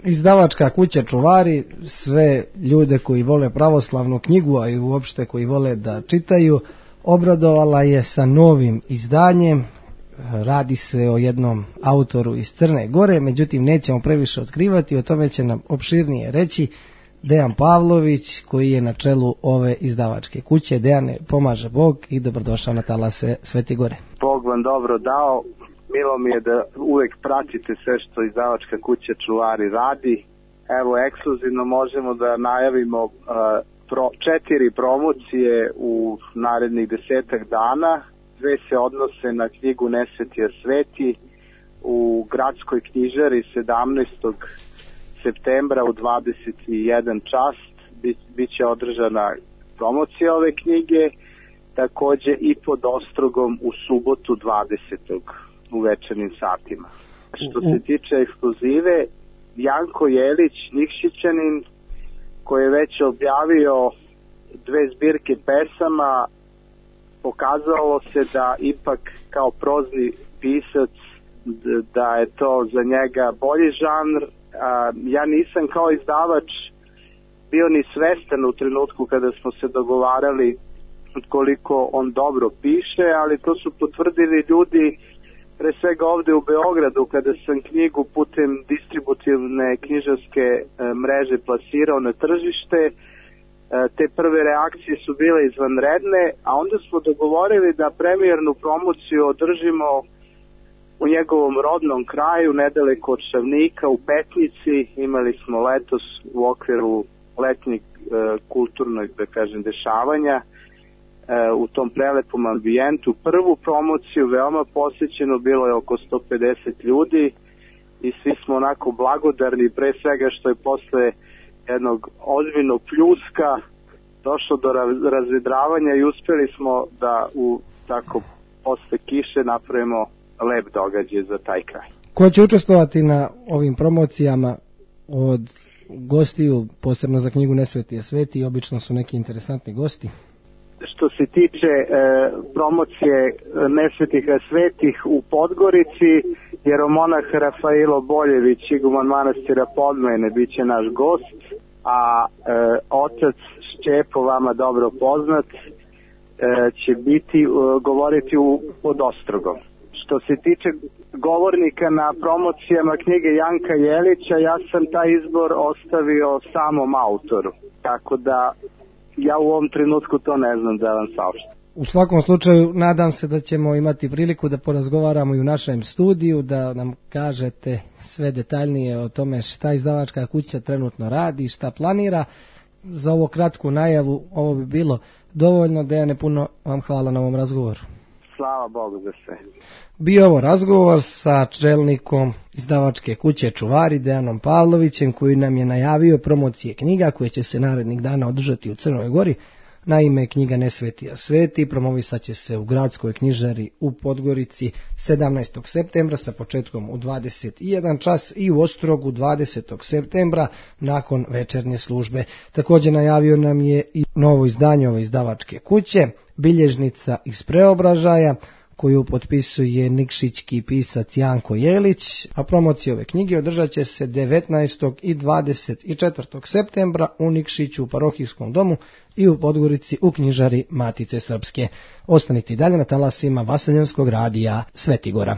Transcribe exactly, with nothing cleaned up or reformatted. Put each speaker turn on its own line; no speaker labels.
Izdavačka kuća Čuvari sve ljude koji vole pravoslavnu knjigu, a i uopšte koji vole da čitaju, obradovala je sa novim izdanjem. Radi se o jednom autoru iz Crne Gore, međutim nećemo previše otkrivati, o tome će nam opširnije reći Dejan Pavlović, koji je na čelu ove izdavačke kuće. Dejane, pomaže Bog i dobrodošao na talase Svete Gore.
Bog vam dobro dao. Milo mi je da uvek pratite sve što izdavačka kuća Čuvari radi. Evo, ekskluzivno možemo da najavimo uh, pro, četiri promocije u narednih desetak dana. Dve se odnose na knjigu Nesvetija sveti u gradskoj knjižari sedamnaestog septembra u dvadeset jedan čas. Biće održana promocija ove knjige, takođe i pod Ostrogom u subotu dvadesetog u večernjim satima. Što se tiče ekskluzive, Janko Jelić, Nikšićanin, koji je već objavio dve zbirke pesama, pokazalo se da ipak kao prozni pisac da je to za njega bolji žanr. Ja nisam kao izdavač bio ni svestan u trenutku kada smo se dogovarali koliko on dobro piše, ali to su potvrdili ljudi pre svega ovde u Beogradu kada sam knjigu putem distributivne knjižarske mreže plasirao na tržište. Te prve reakcije su bile izvanredne, a onda smo dogovorili da premijernu promociju održimo u njegovom rodnom kraju, nedaleko od Šavnika, u Petnici. Imali smo letos u okviru letnjeg e, kulturnog, da kažem, dešavanja e, u tom prelepom ambijentu. Prvu promociju, veoma posjećeno, bilo je oko sto pedeset ljudi i svi smo onako blagodarni, pre svega što je posle jednog ozbiljnog pljuska došlo do razvedravanja i uspeli smo da u tako posle kiše napravimo lep događaj za taj kraj.
Ko će učestvovati na ovim promocijama od gostiju, posebno za knjigu Nesvetija sveti, obično su neki interesantni gosti?
Što se tiče e, promocije Nesvetih svetih u Podgorici, jeromonah Rafailo Boljević, iguman manastira Podmene, bit će naš gost, a e, otac Šćepo, vama dobro poznat, e, će biti e, govoriti u, pod Ostrogom. Što se tiče govornika na promocijama knjige Janka Jelića, ja sam taj izbor ostavio samom autoru, tako da ja u ovom trenutku to ne znam da vam saopštim.
U svakom slučaju nadam se da ćemo imati priliku da porazgovaramo i u našem studiju, da nam kažete sve detaljnije o tome šta izdavačka kuća trenutno radi, šta planira. Za ovo kratku najavu ovo bi bilo dovoljno. Dejane, puno vam hvala na ovom razgovoru.
Slava Bogu za sve.
Bio ovo razgovor sa čelnikom izdavačke kuće Čuvari, Dejanom Pavlovićem, koji nam je najavio promocije knjiga koje će se narednih dana održati u Crnoj Gori. Naime, knjiga Nesvetija sveti promovisat će se u gradskoj knjižari u Podgorici sedamnaestog septembra sa početkom u dvadeset jedan čas i u Ostrogu dvadesetog septembra nakon večernje službe. Također najavio nam je i novo izdanje ove izdavačke kuće, Bilježnica iz Preobražaja, koju potpisuje nikšićki pisac Janko Jelić, a promocija ove knjige održat će se devetnaestog i dvadeset četvrtog septembra u Nikšiću u parohijskom domu i u Podgorici u knjižari Matice Srpske. Ostanite dalje na talasima Vaseljenskog radija Svetigora.